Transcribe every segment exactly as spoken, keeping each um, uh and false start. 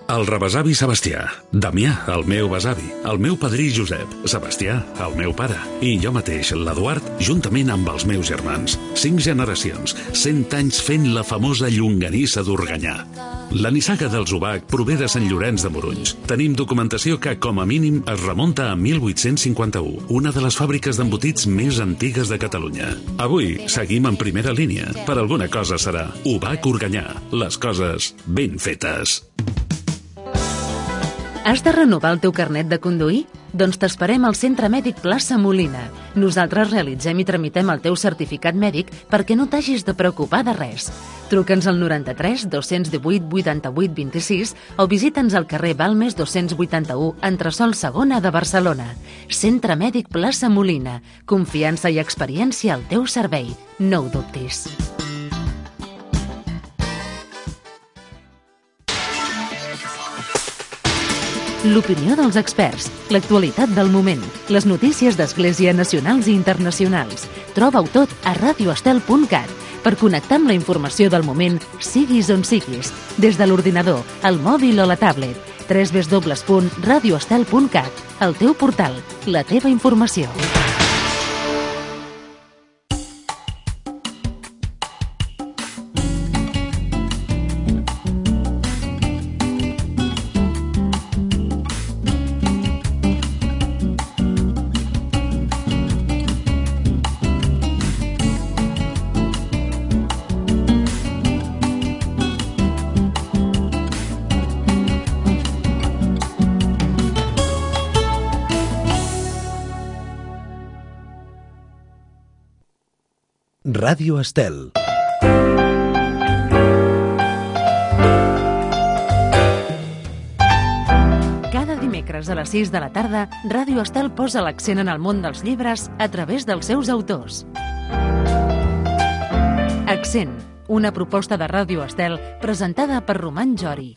El rebesavi Sebastià, Damià, el meu besavi, el meu padrí Josep, Sebastià, el meu pare, i jo mateix, l'Eduard, juntament amb els meus germans. Cinc generacions, cent anys fent la famosa llonganissa d'Organyà. La nissaga dels Ubac prové de Sant Llorenç de Morunys. Tenim documentació que, com a mínim, es remunta a mil vuit-cents cinquanta-u, una de les fàbriques d'embotits més antigues de Catalunya. Avui seguim en primera línia. Per alguna cosa serà Ubac Organyà, les coses ben fetes. Has de renovar el teu carnet de conduir? Doncs t'esperem al Centre Mèdic Plaça Molina. Nosaltres realitzem i tramitem el teu certificat mèdic perquè no t'hagis de preocupar de res. Truca'ns al noranta-tres dos-cents divuit vuitanta-vuit vint-i-sis o visita'ns al carrer Balmes dos-cents vuitanta-u, entresòl segona de Barcelona. Centre Mèdic Plaça Molina. Confiança i experiència al teu servei. No ho dubtis. L'opinió dels experts, l'actualitat del moment, les notícies d'Església nacionals i internacionals. Troba-ho tot a radio estel punt cat per connectar amb la informació del moment, siguis on siguis, des de l'ordinador, el mòbil o la tablet. w w w punt radio estel punt cat, el teu portal, la teva informació. Ràdio Estel. Cada dimecres a les sis de la tarda, Ràdio Estel posa l'accent en el món dels llibres a través dels seus autors. Accent, una proposta de Ràdio Estel presentada per Roman Jori.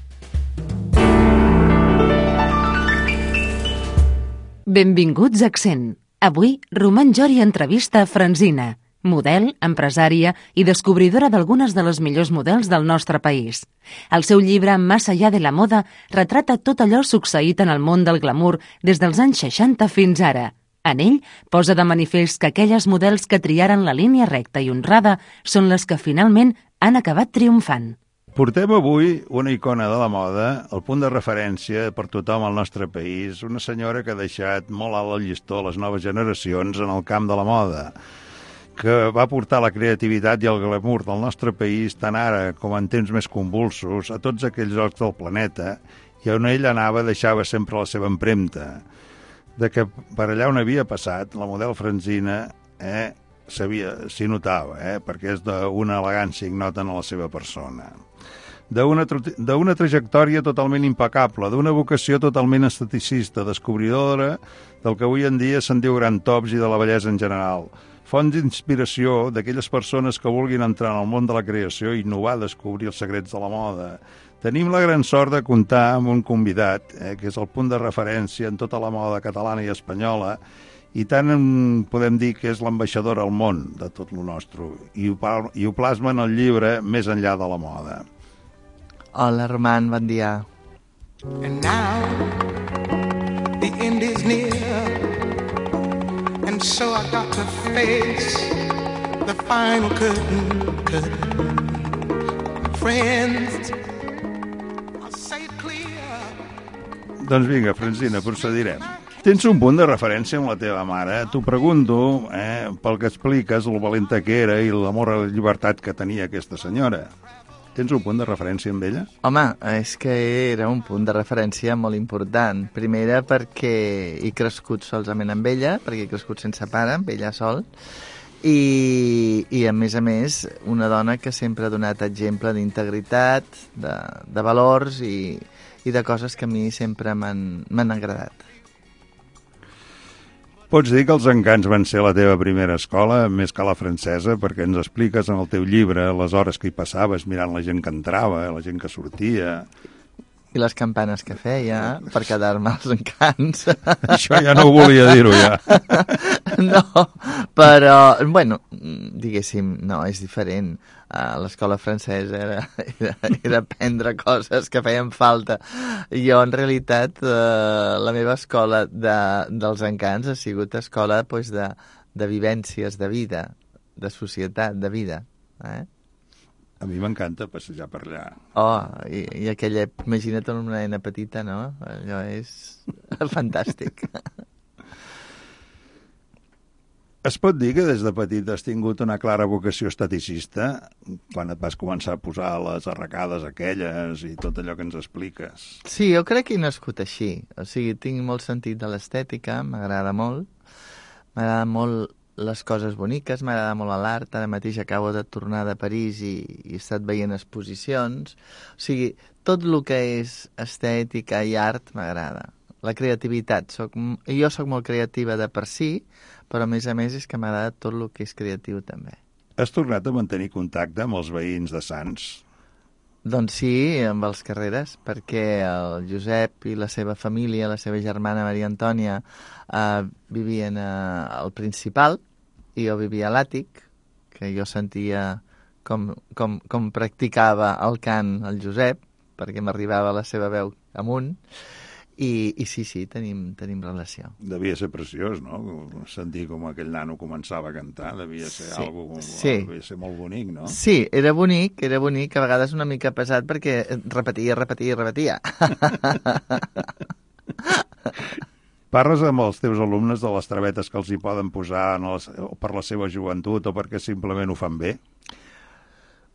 Benvinguts a Accent. Avui, Roman Jori entrevista a Franzina, model, empresària i descobridora d'algunes de les millors models del nostre país. El seu llibre Más allá de la moda retrata tot allò succeït en el món del glamour des dels anys seixanta fins ara. En ell posa de manifest que aquelles models que triaren la línia recta i honrada són les que finalment han acabat triomfant. Portem avui una icona de la moda, el punt de referència per tothom al nostre país, una senyora que ha deixat molt alt el llistó a les noves generacions en el camp de la moda, que va portar la creativitat i el glamour del nostre país, tant ara com en temps més convulsos, a tots aquells llocs del planeta, i on ell anava deixava sempre la seva empremta. De que per allà on havia passat, la model Franzina eh, s'hi notava, eh, perquè és d'una elegància ignota en la seva persona. D'una d'una trajectòria totalment impecable, d'una vocació totalment esteticista, descobridora del que avui en dia se'n diu gran tops i de la bellesa en general, font d'inspiració d'aquelles persones que vulguin entrar en el món de la creació i innovar, descobrir els secrets de la moda. Tenim la gran sort de comptar amb un convidat, eh, que és el punt de referència en tota la moda catalana i espanyola, i tant en, podem dir que és l'ambaixador al món de tot lo nostre, i ho, i ho plasma en el llibre Més enllà de la moda. Hola, Roman, bon dia. And now the end is near, and so I got to face the final curtain, curtain. Friends, I'll say it clear. Doncs vinga, Franzina, procedirem. Tens un punt de referència amb la teva mare. T'ho pregunto, eh, pel que expliques, el valenta que era i l'amor a la llibertat que tenia aquesta senyora. Tens un punt de referència amb ella? Home, és que era un punt de referència molt important. Primera perquè he crescut solament amb ella, perquè he crescut sense pare, amb ella sol, i, i a més a més una dona que sempre ha donat exemple d'integritat, de, de valors i, i de coses que a mi sempre m'han agradat. Pots dir que els encants van ser la teva primera escola, més que la francesa, perquè ens expliques en el teu llibre les hores que hi passaves mirant la gent que entrava, la gent que sortia. I les campanes que feia per quedar-me als encants. Això ja no ho volia dir-ho, ja. No, però, bueno, diguéssim, no, és diferent. Uh, l'escola francesa era, era, era aprendre coses que feien falta. Jo, en realitat, uh, la meva escola de, dels encants ha sigut escola pues, de, de vivències de vida, de societat, de vida, eh? A mi m'encanta passejar per allà. Oh, i, i aquella... Imagina't una nena petita, no? Allò és fantàstic. Es pot dir que des de petit has tingut una clara vocació estaticista quan et vas començar a posar les arracades aquelles i tot allò que ens expliques? Sí, jo crec que he nascut així. O sigui, tinc molt sentit de l'estètica, m'agrada molt. M'agrada molt les coses boniques, m'agrada molt l'art. Ara mateix acabo de tornar de París i, i he estat veient exposicions. O sigui, tot el que és estètica i art m'agrada. La creativitat. Soc, jo sóc molt creativa de per si, però a més a més és que m'agrada tot el que és creatiu també. Has tornat a mantenir contacte amb els veïns de Sants? Doncs sí, amb els Carreres, perquè el Josep i la seva família, la seva germana Maria Antònia, eh, vivien eh, al Principal i jo vivia a l'àtic, que jo sentia com, com, com practicava el cant el Josep, perquè m'arribava la seva veu amunt, i, i sí, sí, tenim, tenim relació. Devia ser preciós, no? Sentir com aquell nano començava a cantar, devia ser sí, algo, sí. devia ser molt bonic, no? Sí, era bonic, era bonic, a vegades una mica pesat perquè repetia, repetia, repetia. Parles amb els teus alumnes de les travetes que els hi poden posar en les, o per la seva joventut o perquè simplement ho fan bé?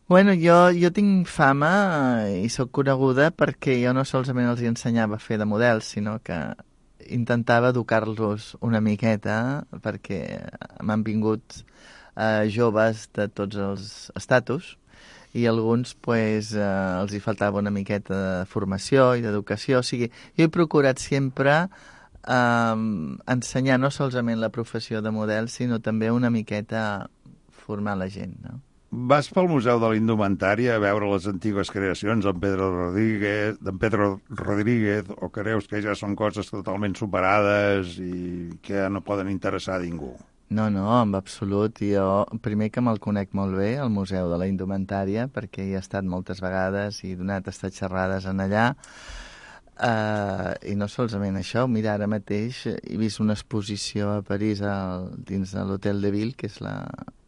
Bueno, jo, jo tinc fama i sóc coneguda perquè jo no solament els ensenyava a fer de models, sinó que intentava educar-los una miqueta perquè m'han vingut eh, joves de tots els estatus i alguns pues, eh, els hi faltava una miqueta de formació i d'educació. O sigui, jo he procurat sempre eh, ensenyar no solament la professió de model, sinó també una miqueta formar la gent, no? Vas pel Museu de la Indumentària a veure les antigues creacions d'en Pedro Rodríguez, d'en Pedro Rodríguez, o creus que ja són coses totalment superades i que no poden interessar a ningú? No, no, en absolut. Jo, primer que me'l conec molt bé, al Museu de la Indumentària, perquè hi he estat moltes vegades i he donat estat xerrades en allà. Uh, I no solament això, mira, ara mateix he vist una exposició a París al, dins de l'Hotel de Ville, que és la...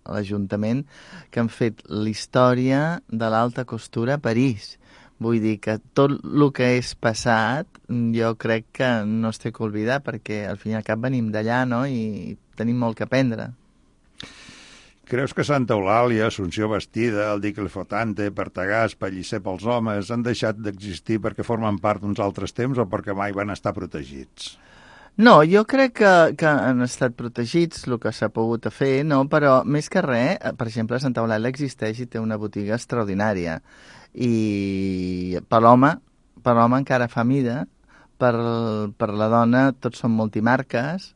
l'Ajuntament, que han fet la història de l'alta costura a París. Vull dir que tot el que és passat jo crec que no es té que oblidar perquè al fin i al cap venim d'allà, no? I tenim molt que aprendre. Creus que Santa Eulàlia, Assumpció Bastida, el Dicle Flotante, Partagàs, Pellicer pels homes han deixat d'existir perquè formen part d'uns altres temps o perquè mai van estar protegits? No, jo crec que, que han estat protegits, el que s'ha pogut fer, no? Però més que res, per exemple, Santa Eulàlia existeix i té una botiga extraordinària. I per l'home, per l'home encara fa mida, per, per la dona tots són multimarques,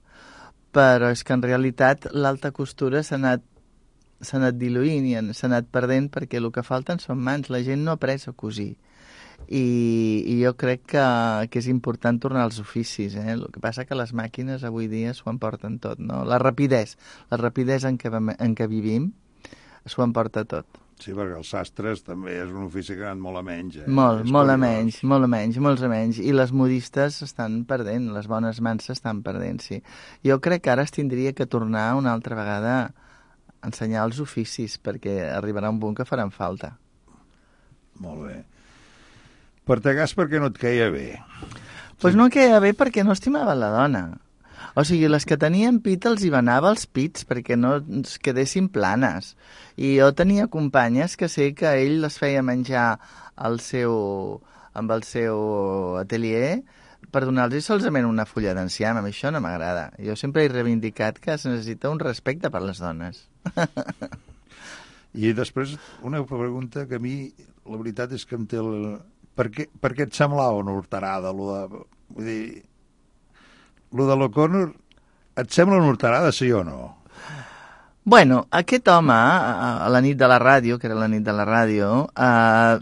però és que en realitat l'alta costura s'ha anat, s'ha anat diluint i s'ha anat perdent perquè el que falten són mans, la gent no ha après a cosir. I, i jo crec que, que és important tornar als oficis, eh? El que passa que les màquines avui dia s'ho emporten tot, no? La rapidesa, la rapidesa en què, en què vivim s'ho emporta tot. Sí, perquè els sastres també és un ofici que ha anat molt a menys. Eh? Molt, és molt curiós. a menys, molt a menys, molts a menys. I les modistes s'estan perdent, les bones mans s'estan perdent, sí. Jo crec que ara es tindria que tornar una altra vegada a ensenyar els oficis, perquè arribarà un punt que faran falta. Molt bé. Partagàs perquè no et queia bé? Doncs pues no queia bé perquè no estimava la dona. O sigui, les que tenien pit els hi venava els pits perquè no es quedessin planes. I jo tenia companyes que sé que ell les feia menjar al seu, amb el seu atelier per donar-los solament una fulla d'enciam. A mi això no m'agrada. Jo sempre he reivindicat que es necessita un respecte per les dones. I després una pregunta que a mi la veritat és que em té... El... Per què, per què et semblava una horterada? Lo de, vull dir, lo de l'O'Connor, et sembla una horterada, sí o no? Bueno, aquest home, a la nit de la ràdio, que era la nit de la ràdio, eh,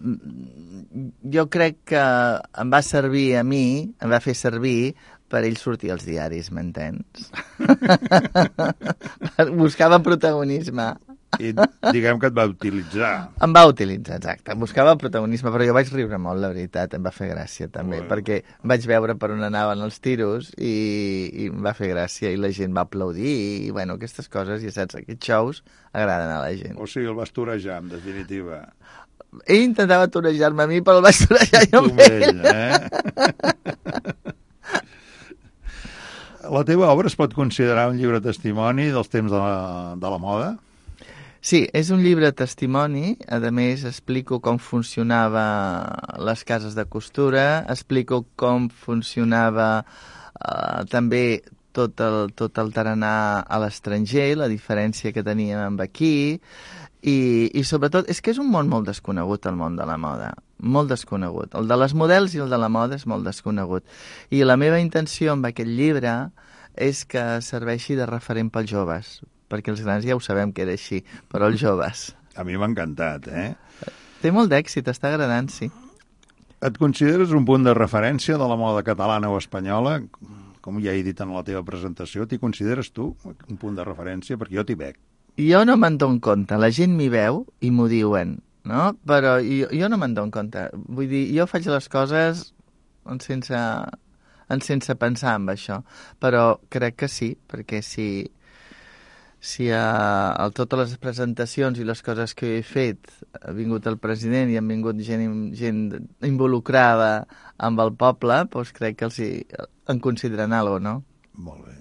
jo crec que em va servir a mi, em va fer servir per ell sortir als diaris, m'entens? Buscava protagonisme. I diguem que et va utilitzar. Em va utilitzar, exacte. Buscava protagonisme, però jo vaig riure molt, la veritat. Em va fer gràcia, també, Bueno. perquè vaig veure per on anaven els tiros i, i em va fer gràcia i la gent va aplaudir i, bueno, aquestes coses, ja saps, aquests shows agraden a la gent. O sigui, el vas torejar, en definitiva. Ell intentava torejar-me a mi, però el vaig torejar jo Tu amb ell. ell, eh? La teva obra es pot considerar un llibre testimoni dels temps de la, de la moda? Sí, és un llibre testimoni. A més, explico com funcionava les cases de costura, explico com funcionava eh, també tot el, tot el tarannà a l'estranger, la diferència que teníem amb aquí, i, i sobretot és que és un món molt desconegut, el món de la moda, molt desconegut. El de les models i el de la moda és molt desconegut. I la meva intenció amb aquest llibre és que serveixi de referent pels joves, perquè els grans ja ho sabem que era així, però els joves. A mi m'ha encantat, eh? Té molt d'èxit, està agradant, sí. Et consideres un punt de referència de la moda catalana o espanyola? Com ja he dit en la teva presentació, t'hi consideres tu un punt de referència? Perquè jo t'hi veig. Jo no me'n dono compte, la gent m'hi veu i m'ho diuen, no? Però jo, jo no me'n dono compte. Vull dir, jo faig les coses en sense, en sense pensar en això, però crec que sí, perquè si... si a, a totes les presentacions i les coses que he fet ha vingut el president i han vingut gent, gent involucrada amb el poble, doncs crec que els hi, en consideren alguna cosa, no? Molt bé.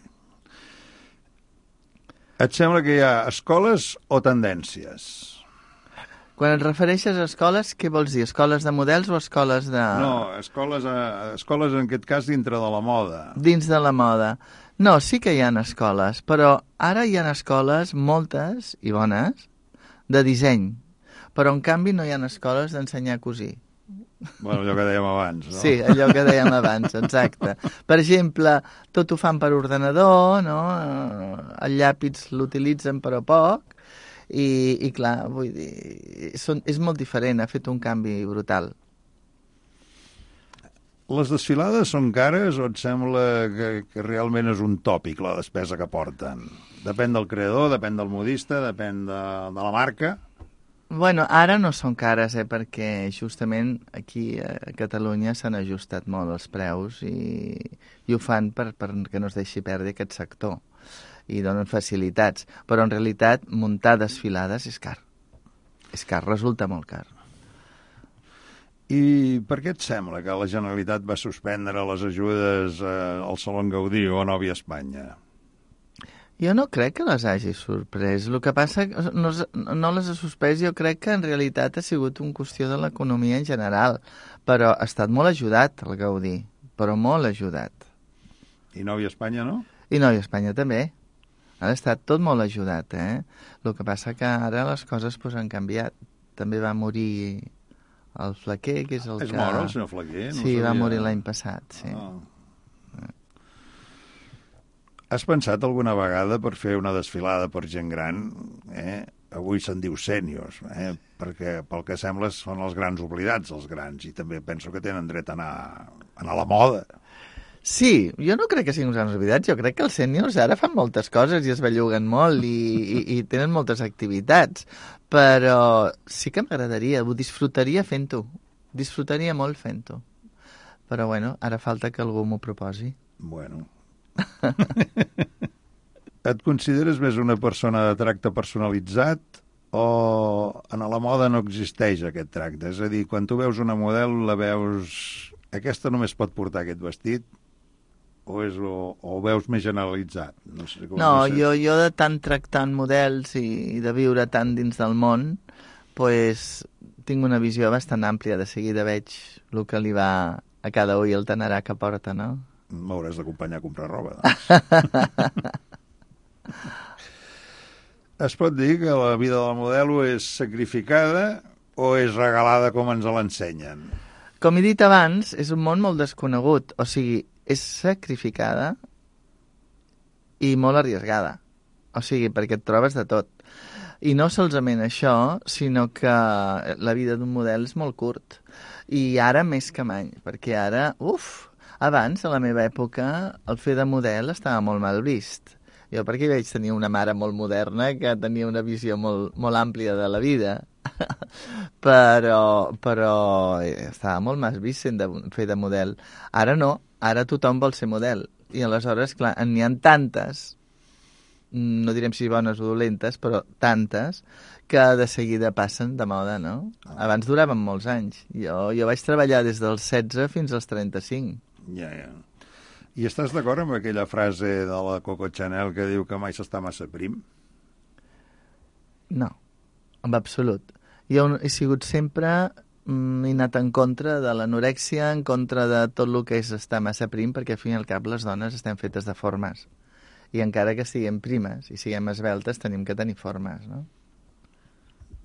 Et sembla que hi ha escoles o tendències? Quan et refereixes a escoles, què vols dir? Escoles de models o escoles de... No, escoles, a, escoles en aquest cas dintre de la moda. Dins de la moda. No, sí que hi ha escoles, però ara hi ha escoles, moltes i bones, de disseny. Però, en canvi, no hi ha escoles d'ensenyar a cosir. Bueno, allò que dèiem abans, no? Sí, allò que dèiem abans, exacte. Per exemple, tot ho fan per ordenador, no? El llàpis l'utilitzen però poc, i, i clar, vull dir, són, és molt diferent, ha fet un canvi brutal. Les desfilades són cares o et sembla que, que realment és un tòpic la despesa que porten? Depèn del creador, depèn del modista, depèn de, de la marca? Bueno, ara no són cares, eh, perquè justament aquí a Catalunya s'han ajustat molt els preus i, i ho fan per, per que no es deixi perdre aquest sector i donen facilitats. Però en realitat muntar desfilades és car. És car, resulta molt car. I per què et sembla que la Generalitat va suspendre les ajudes eh, al Salón Gaudí o a Nòvia Espanya? Jo no crec que les hagi sorprès. El que passa no, no les ha suspès, jo crec que en realitat ha sigut una qüestió de l'economia en general, però ha estat molt ajudat el Gaudí, però molt ajudat. I Nòvia Espanya no? I Nòvia Espanya també. Ha estat tot molt ajudat, eh? El que passa que ara les coses pues, han canviat. També va morir el Flaquer, que és el és que... És mort, el senyor Flaquer? No sí, sabia... va morir l'any passat, sí. Ah. Has pensat alguna vegada per fer una desfilada per gent gran? Eh? Avui se'n diu sèniors, eh? Perquè pel que sembla són els grans oblidats, els grans, i també penso que tenen dret a anar, a anar a la moda. Sí, jo no crec que siguin uns grans oblidats, jo crec que els sèniors ara fan moltes coses i es belluguen molt i, i, i tenen moltes activitats, però sí que m'agradaria, ho disfrutaria fent-ho, disfrutaria molt fent-ho. Però bueno, ara falta que algú m'ho proposi. Bueno... Et consideres més una persona de tracte personalitzat o en la moda no existeix aquest tracte? És a dir, quan tu veus una model la veus... Aquesta només pot portar aquest vestit o, és, o, o ho veus més generalitzat? No, sé com no, no sé. jo, jo de tant tractant models i, i de viure tant dins del món, pues, tinc una visió bastant àmplia. De seguida veig el que li va a cada ull el tanarà que porta, no? M'hauràs d'acompanyar a comprar roba, doncs. Es pot dir que la vida de la modelo és sacrificada o és regalada com ens l'ensenyen? Com he dit abans, és un món molt desconegut. O sigui, és sacrificada i molt arriesgada. O sigui, perquè et trobes de tot. I no solament això, sinó que la vida d'un model és molt curt. I ara més que mai, perquè ara, uf, abans, a la meva època, el fer de model estava molt mal vist. Jo perquè vaig tenir una mare molt moderna que tenia una visió molt, molt àmplia de la vida, però, però estava molt mal vist sent de, fer de model. Ara no, ara tothom vol ser model. I aleshores, clar, n'hi ha tantes, no direm si bones o dolentes, però tantes, que de seguida passen de moda, no? Abans duraven molts anys. Jo, jo vaig treballar des dels setze fins als trenta-cinc. Ja, ja. I estàs d'acord amb aquella frase de la Coco Chanel que diu que mai s'està massa prim? No, en absolut. Jo he sigut sempre, mm, he anat en contra de l'anorèxia, en contra de tot el que és estar massa prim, perquè al fin i al cap les dones estem fetes de formes. I encara que siguem primes i siguem esveltes, tenim que tenir formes, no?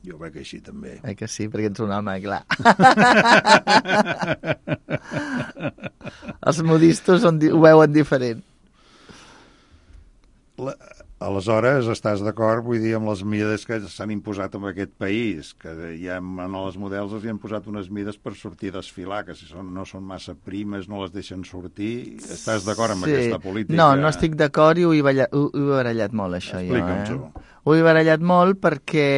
Jo veig així, també. Eh que sí, perquè ets un home, clar. Els modistos on, ho veuen diferent. La, aleshores, estàs d'acord, vull dir, amb les mides que s'han imposat en aquest país, que ja en els models els hi han posat unes mides per sortir a desfilar, que si són, no són massa primes, no les deixen sortir. Estàs d'acord amb sí. aquesta política? No, no estic d'acord i ho he, ballat, ho, ho he barallat molt, això. Explica'm jo, eh? tu. Ho he barallat molt perquè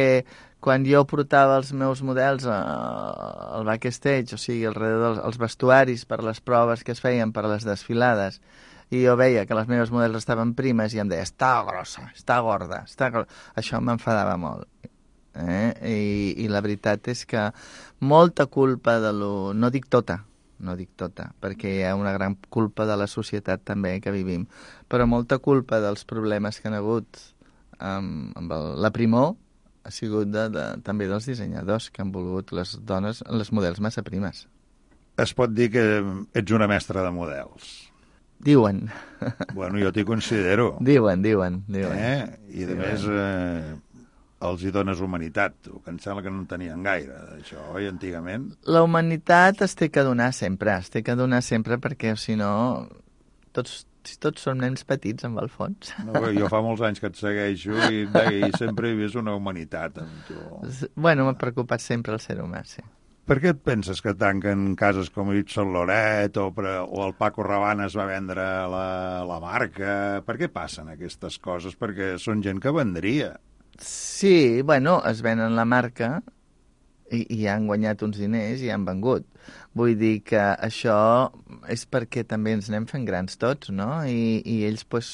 quan jo portava els meus models al backstage, o sigui, alrededor dels els vestuaris per les proves que es feien per les desfilades, i jo veia que les meves models estaven primes i em deia, està grossa, està gorda, està grossa. Això m'enfadava molt. Eh? I, I la veritat és que molta culpa de lo... No dic tota, no dic tota, perquè hi ha una gran culpa de la societat també que vivim, però molta culpa dels problemes que han hagut amb, amb el, la primor ha sigut de, de, també dels dissenyadors que han volgut les dones, les models massa primes. Es pot dir que ets una mestra de models. Diuen. Bueno, jo t'hi considero. Diuen, diuen, diuen. Eh? I a diuen. més eh, els hi dones humanitat, tu, que em sembla que no en tenien gaire, d'això, oi, antigament? La humanitat es té que donar sempre, es té que donar sempre perquè, si no, tots, si tots som nens petits, amb el fons. No, jo fa molts anys que et segueixo i, i sempre he vist una humanitat amb tu. Bueno, m'ha preocupat sempre el ser humà, sí. Per què et penses que tanquen cases com Yves Saint Laurent o, o el Paco Rabanne es va vendre la, la marca? Per què passen aquestes coses? Perquè són gent que vendria. Sí, bueno, es venen la marca i, i han guanyat uns diners i han vengut. Vull dir que això és perquè també ens anem fent grans tots, no? I, i ells, pues,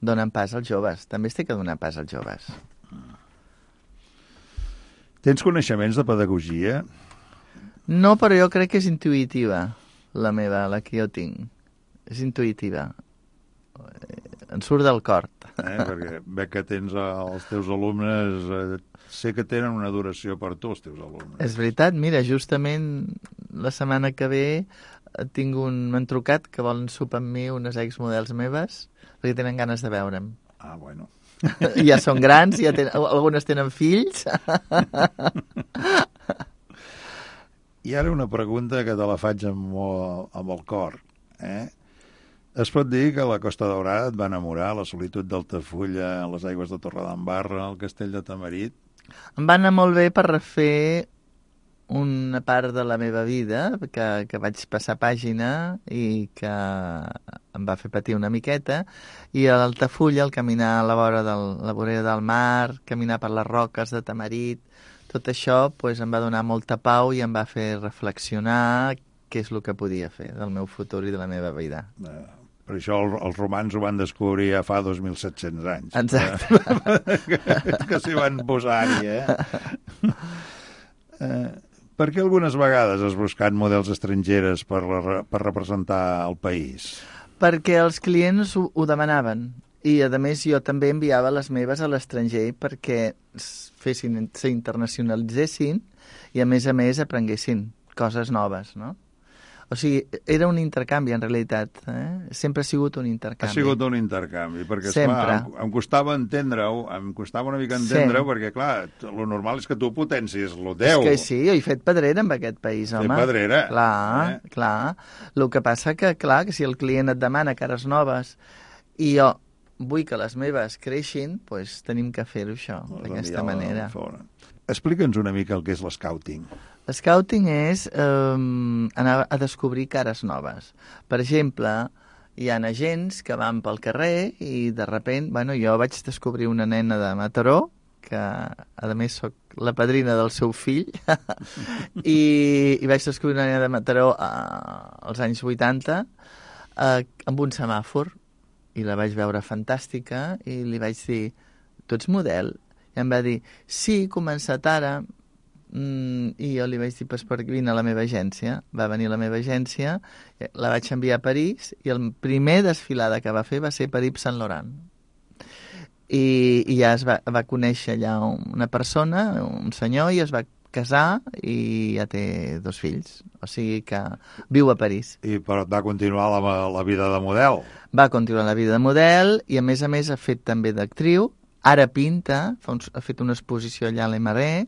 donen pas als joves. També es té que donar pas als joves. Tens coneixements de pedagogia? No, però jo crec que és intuïtiva, la meva, la que jo tinc. És intuïtiva. Em surt del cor. Eh? Perquè veig que tens els teus alumnes, eh, sé que tenen una adoració per tu, els teus alumnes. És veritat, mira, justament la setmana que ve tinc un... m'han trucat que volen sopar amb mi unes exmodels meves perquè tenen ganes de veure'm. Ah, bueno. Ja són grans, ja tenen, algunes tenen fills. I ara una pregunta que te la faig amb, amb el cor. Eh? Es pot dir que la Costa Daurada et va enamorar, la solitud d'Altafulla, les aigües de Torredembarra, el castell de Tamarit? Em va anar molt bé per refer una part de la meva vida, que, que vaig passar pàgina i que em va fer patir una miqueta, i a l'Altafulla, el caminar a la vora de la vorera del mar, caminar per les roques de Tamarit, tot això pues, em va donar molta pau i em va fer reflexionar què és el que podia fer del meu futur i de la meva vida. Eh, per això el, els romans ho van descobrir ja fa dos mil set-cents anys. Exacte. que que s'hi van posar-hi, eh? eh? Per què algunes vegades has buscat models estrangeres per, la, per representar el país? Perquè els clients ho, ho demanaven. I, a més, jo també enviava les meves a l'estranger perquè fessin, s'internacionalitzessin i, a més a més, aprenguessin coses noves, no? O sigui, era un intercanvi, en realitat. Eh? Sempre ha sigut un intercanvi. Ha sigut un intercanvi, perquè, Sempre. esclar, em, em costava entendre-ho, em costava una mica entendre-ho, sí. Perquè, clar, lo normal és que tu potencis lo teu. És que sí, jo he fet pedrera en aquest país, home. Fet pedrera. Clar, eh? clar. El que passa que, clar, que si el client et demana cares noves i jo vull que les meves creixin, doncs tenim que fer-ho això, d'aquesta manera. Explica'ns una mica el que és l'escouting. L'escouting és eh, anar a descobrir cares noves. Per exemple, hi ha agents que van pel carrer i de repent, bueno, jo vaig descobrir una nena de Mataró, que a més sóc la padrina del seu fill, i, i vaig descobrir una nena de Mataró eh, als anys vuitanta eh, amb un semàfor, i la vaig veure fantàstica, i li vaig dir, tu ets model? I em va dir, sí, he començat ara, mm, i jo li vaig dir, pues, per vine a la meva agència. Va venir a la meva agència, la vaig enviar a París, i el primer desfilada que va fer va ser per Yves Saint Laurent. I, i ja es va, va conèixer allà una persona, un senyor, i es va casar i ja té dos fills. O sigui que viu a París. I però va continuar la, la vida de model. Va continuar la vida de model i a més a més ha fet també d'actriu. Ara pinta, fa un, ha fet una exposició allà a l'E M R E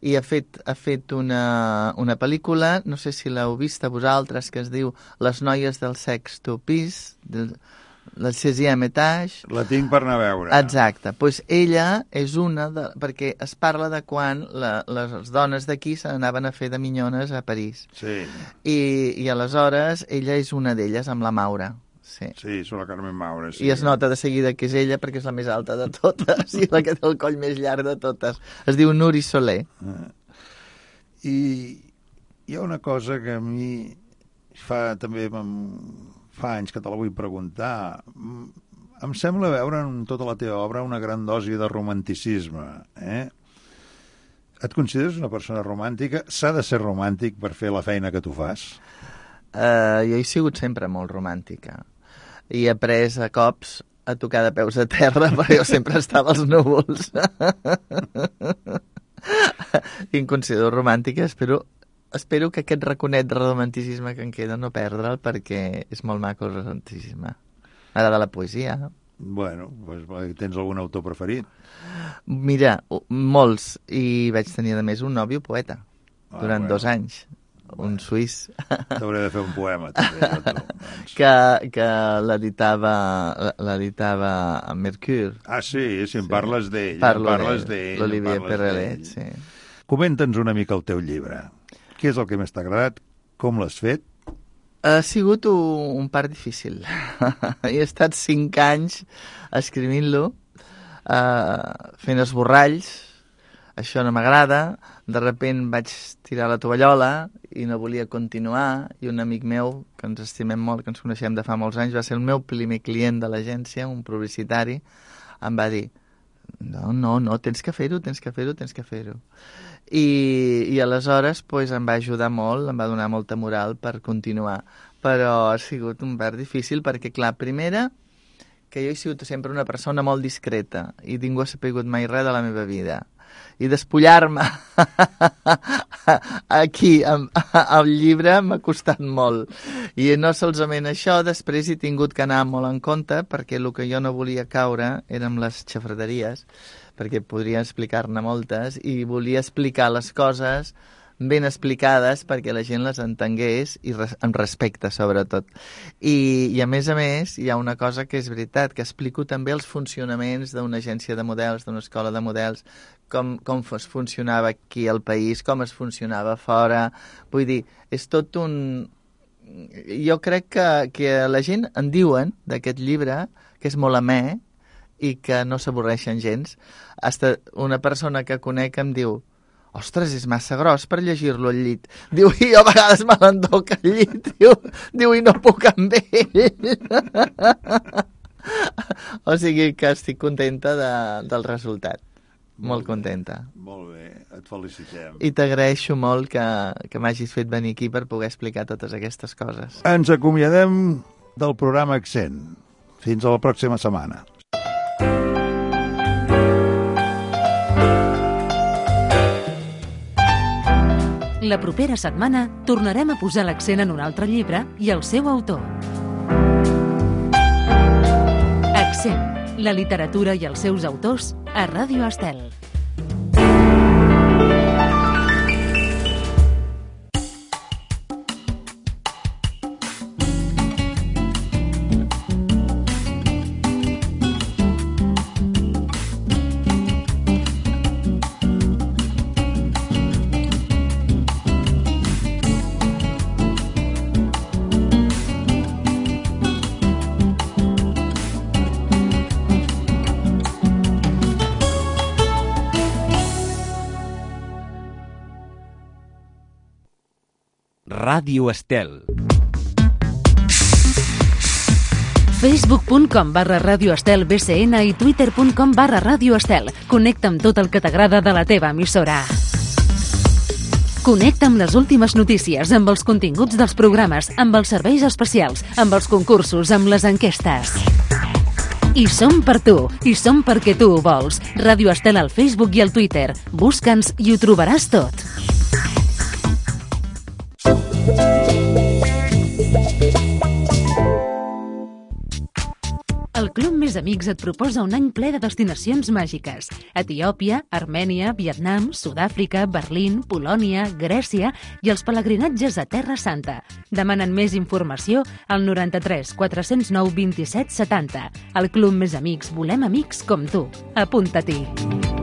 i ha fet, ha fet una, una pel·lícula, no sé si l'heu vist a vosaltres, que es diu Les noies del sexto pis, del, del seizième étage. La tinc per anar a veure. Exacte. Doncs pues ella és una de... perquè es parla de quan la, les dones d'aquí se n'anaven a fer de minyones a París. Sí. I, i aleshores ella és una d'elles, amb la Maura. Sí, sí, són la Carmen Maura. Sí. I es nota de seguida que és ella perquè és la més alta de totes i la que té el coll més llarg de totes. Es diu Nuri Soler. Ah. I hi ha una cosa que a mi fa també fa anys que te la vull preguntar. Em sembla veure en tota la teva obra una gran dosi de romanticisme. Eh? Et consideres una persona romàntica? S'ha de ser romàntic per fer la feina que tu fas? Uh, jo he sigut sempre molt romàntica. I he après a cops a tocar de peus a terra, perquè jo sempre estava als núvols. I em considero romàntica. Espero, espero que aquest raconet de romanticisme que em queda no perdre'l, perquè és molt maco el romanticisme. M'agrada la poesia. Bueno, pues, tens algun autor preferit? Mira, molts. I vaig tenir, a més, un nòvio poeta ah, durant bueno. dos anys. Un suís. T'hauré de fer un poema, també, jo, tu. Doncs. que, que l'editava l'editava a Mercure. Ah, sí? Si em sí. parles d'ell. Parlo parles d'ell, l'Olivier Perrelet, sí. Comenta'ns una mica el teu llibre. Què és el que més t'ha agradat? Com l'has fet? Ha sigut un, un part difícil. He estat cinc anys escrivint-lo, uh, fent esborralls. Això no m'agrada, de repent vaig tirar la tovallola i no volia continuar, i un amic meu, que ens estimem molt, que ens coneixem de fa molts anys, va ser el meu primer client de l'agència, un publicitari, em va dir, no, no, no, tens que fer-ho, tens que fer-ho, tens que fer-ho. I, i aleshores pues, em va ajudar molt, em va donar molta moral per continuar, però ha sigut un part difícil perquè, clar, primera, que jo he sigut sempre una persona molt discreta i ningú ha sapigut mai res de la meva vida. I despullar-me aquí al llibre m'ha costat molt. I no solament això, després he tingut que anar molt en compte, perquè el que jo no volia caure eren les xafraderies, perquè podria explicar-ne moltes, i volia explicar les coses ben explicades perquè la gent les entengués i res, amb respecte, sobretot. I, I a més a més, hi ha una cosa que és veritat, que explico també els funcionaments d'una agència de models, d'una escola de models, com, com es funcionava aquí al país, com es funcionava fora. Vull dir, és tot un... Jo crec que, que la gent en diuen d'aquest llibre que és molt amè i que no s'avorreixen gens. Hasta una persona que conec em diu, ostres, és massa gros per llegir-lo al llit. Diu, i jo a vegades me l'endoc al llit. Diu, diu, i no puc amb ell. O sigui que estic contenta de, del resultat. Molt, molt contenta. Molt bé, et felicitem. I t'agraeixo molt que, que m'hagis fet venir aquí per poder explicar totes aquestes coses. Ens acomiadem del programa Accent. Fins a la pròxima setmana. La propera setmana tornarem a posar l'accent en un altre llibre i el seu autor. Accent, la literatura i els seus autors a Ràdio Estel. Ràdio Estel. facebook punt com barra Ràdio Estel B C N i twitter punt com barra Ràdio Estel. Connecta amb tot el que t'agrada de la teva emissora. Connecta amb les últimes notícies, amb els continguts dels programes, amb els serveis especials, amb els concursos, amb les enquestes. I som per tu, i som perquè tu ho vols. Ràdio Estel al Facebook i al Twitter. Busca'ns i ho trobaràs tot. El Club Més Amics et proposa un any ple de destinacions màgiques. Etiòpia, Armènia, Vietnam, Sud-àfrica, Berlín, Polònia, Grècia i els pelegrinatges a Terra Santa. Demanen més informació al noranta-tres quatre-cents nou vint-i-set setanta. Al Club Més Amics volem amics com tu. Apunta-t'hi.